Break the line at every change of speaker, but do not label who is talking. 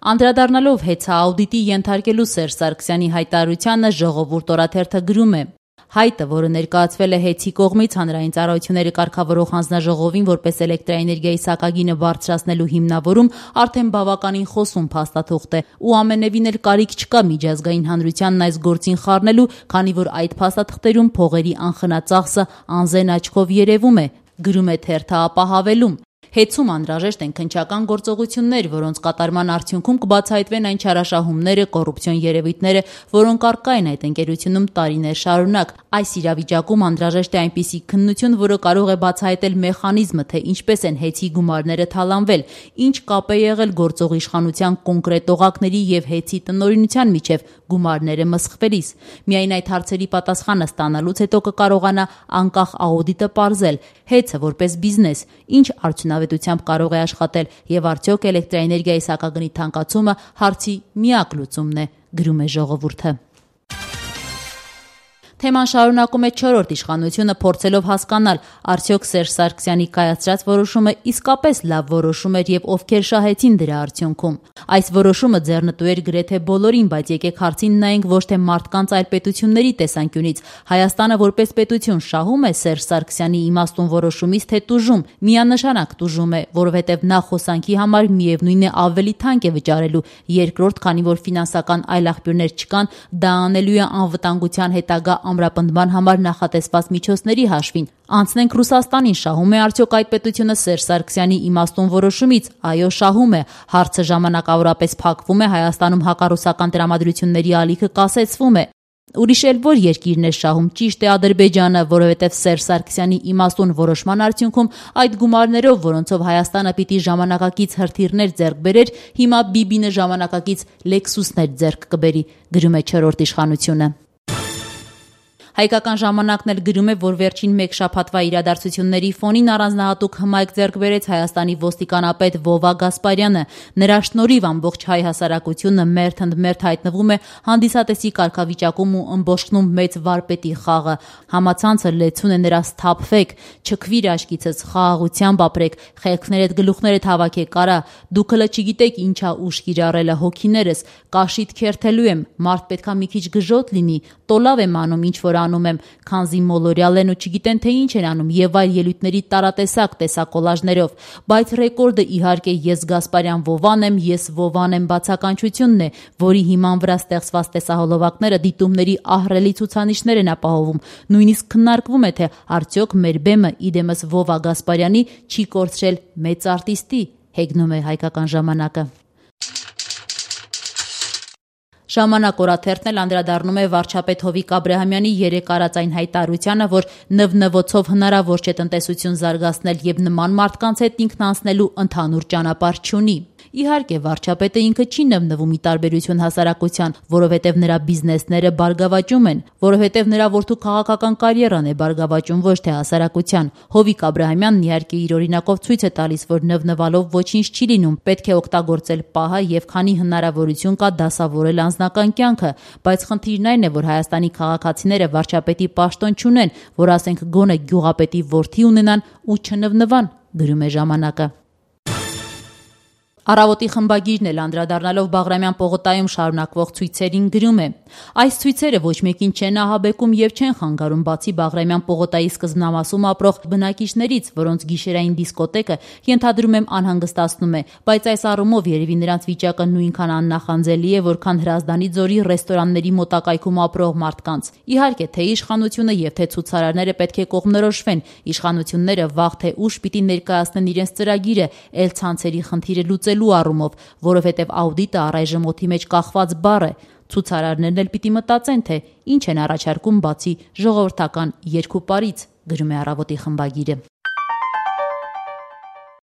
Անդրադառնալով հեծա-աուդիտի ենթարկելու Սերժ Սարգսյանի հայտարարությանը Ժողովուրդ օրաթերթը գրում է. հայտը, որը ներկայացվել է ՀԵՑ-ի կողմից հանրային ծառայությունները կարգավորող հանձնաժողովին որպես էլեկտրաէներգիայի սակագինը բարձրացնելու հիմնավորում, արդեն բավականին խոսուն փաստաթուղթ է ու ամենևին էլ կարիք չկա միջազգային հանրությանն այս գործին խառնելու, քանի որ այդ փաստաթղթերում փողերի անխնածախսը անզեն աչքով երևում է, գրում է թերթը ապահավելում. Հեծում անհրաժեշտ են քննչական գործողություններ, որոնց կատարման արդյունքում կբացահայտվեն այն չարաշահումները, կոռուպցիոն երևույթները, որոնք առկա են այդ ընկերությունում տարիներ շարունակ։ Այս իրավիճակում անհրաժեշտ է այնպիսի քննություն, որը կարող է բացահայտել մեխանիզմը, թե ինչպես են ՀԵՑ-ի գումարները թալանվել, ինչ կապ է եղել գործող իշխանության կոնկրետ օղակների եւ ՀԵՑ-ի տնօրինության միջև գումարները մսխվելիս։ Միայն այդ հարցերի պատասխանը ստանալուց հետո կկարողանա անկախ աուդիտը պարզել ՀԵՑ-ը որպես բիզնես ինչ արդյունավետությամբ կարող է աշխատել եւ արդյոք էլեկտրաէներգիայի սակագնի թանկացումը հարցի միակ լուծումն է, գրում է Ժողովուրդը։ Թեման շարունակում է 4-րդ իշխանությունը փորձելով հասկանալ, արդյոք Սերժ Սարգսյանի կայացրած որոշումը իսկապես լավ որոշում էր եւ ովքեր շահեցին դրա արդյունքում։ Այս որոշումը ձեռնտու էր գրեթե բոլորին, բայց եկեք հարցին նայենք ոչ թե մարդկանց, այլ պետությունների տեսանկյունից։ Հայաստանը որպես պետություն շահում է Սերժ Սարգսյանի իմաստուն որոշումից, թե տուժում։ Միանշանակ տուժում է, որովհետեւ նա խոսանքի համար միևնույն է ավելի թանկ է վճարելու, երկրորդ, քանի որ ֆինանսական այլ աղբյուրներ չկան, դա անելու է անվտանգության հետագա ամրապնդման համար նախատեսված միջոցների հաշվին։ Անցնենք Ռուսաստանին, շահում է արդյոք այդ պետությունը Սերժ Սարգսյանի իմաստուն որոշումից։ Այո, շահում է։ Հարցը ժամանակավորապես փակվում է, Հայաստանում հակառուսական տրամադրությունների ալիքը կասեցվում է։ Ուրիշ էլ որ երկիրն է շահում, ճիշտ է Ադրբեջանը, որովհետև Սերժ Սարգսյանի իմաստուն որոշման արդյունքում այդ գումարներով, որոնցով Հայաստանը պիտի ժամանակակից հրթիռներ ձեռք բերեր, հիմա Բիբինը ժամանակակից Լեքսուսներ ձեռք կբերի, գրում է 4-րդ իշխանությունը։ Հայկական ժամանակն էլ գրում է, որ վերջին մեկ շաբաթվա իրադարձությունների ֆոնին առանձնահատուկ հմայք ձեռք բերեց Հայաստանի ոստիկանապետ Վովա Գասպարյանը։ Նրա շնորհիվ ամբողջ հայ հասարակությունը մերթ հայտնվում է հանդիսատեսի կարգավիճակում ու ըմբոշխնում մեծ վարպետի խաղը։ Համացանցը լեցուն է նրա «Սթափվեք, չքվիր աչքիցս, խաղաղությամբ ապրեք, խելքներդ գլուխներդ հավաքեք, արա, դուք հլը չգիտեք ինչա ուժ կիրառելը հոգիներս, կաշիդ քերթելու եմ, մարդ պետքա մի քիչ գժոտ լինի, տոլավ եմ անում ինչ որ անում եմ, քանզի մոլորյալ են ու չգիտեն թե ինչ են անում եւ այլ ելույթների տարատեսակ տեսակոլաժներով, բայց ռեկորդը իհարկե ես Գասպարյան Վովան եմ, ես Վովան եմ բացականչությունն է, որի հիման վրա ստեղծված տեսահոլովակները դիտումների ահռելի ցուցանիշներ են ապահովում, նույնիսկ քննարկվում է թե արդյոք մեր բեմը իդեմս Վովա Գասպարյանի չի կորցրել մեծ արտիստի, հեգնում է Հայկական ժամանակը։ Ժամանակ օրաթերթն էլ անդրադառնում է վարչապետ Հովիկ Աբրահամյանի երեկ արած այն հայտարարությանը, որ նվնվոցով հնարավոր չէ տնտեսություն զարգացնել եւ նման մարդկանց հետ ինքն անցնելու ընդհանուր ճանապարհ չունի։ Իհարկե, վարչապետը ինքը չի նվնվում ի տարբերություն հասարակության, որովհետև նրա բիզնեսները բարգավաճում են, որովհետև նրա որդու քաղաքական կարիերան է բարգավաճում, ոչ թե հասարակության։ Հովիկ Աբրահամյանն իհարկե իր օրինակով ցույց է տալիս, որ նվնվալով ոչինչ չի լինում, պետք է օգտագործել պահը եւ քանի հնարավորություն կա դասավորել անձնական կյանքը, բայց խնդիրն այն է, որ Հայաստանի քաղաքացիները վարչապետի պաշտոն չունեն, որ ասենք գոնե գյուղապետի որդի ունենան ու չնվնվան, գրում է ժամանակը։ Առավոտի խմբագիրն էլ անդրադառնալով Բաղրամյան պողոտայում շարունակվող ցույցերին գրում է. այս ցույցերը ոչ մեկին չեն ահաբեկում եւ չեն խանգարում բացի Բաղրամյան պողոտայի սկզբնամասում ապրող բնակիչներից, որոնց գիշերային դիսկոտեկը ենթադրում եմ անհանգստացնում է, բայց այս առումով երևի նրանց վիճակը նույնքան աննախանձելի է, որքան Հրազդանի ձորի ռեստորանների մոտակայքում ապրող մարդկանց։ Իհարկե, թե իշխանությունը եւ թե ցուցարարները պետք է կողմնորոշվեն, իշխանությունները վաղ թե ուշ պիտի ներկայացնեն իրենց ծրագիրը, ել ցանցերի խնդիրը լուծելու առումով, որովհետև աուդիտը առայժմ օդի մեջ կախված բառ է։ Ցուցարարներն էլ պիտի մտածեն, թե ինչ են առաջարկում բացի ժողովրդական երկու պարից, գրում է Առավոտի խմբագիրը։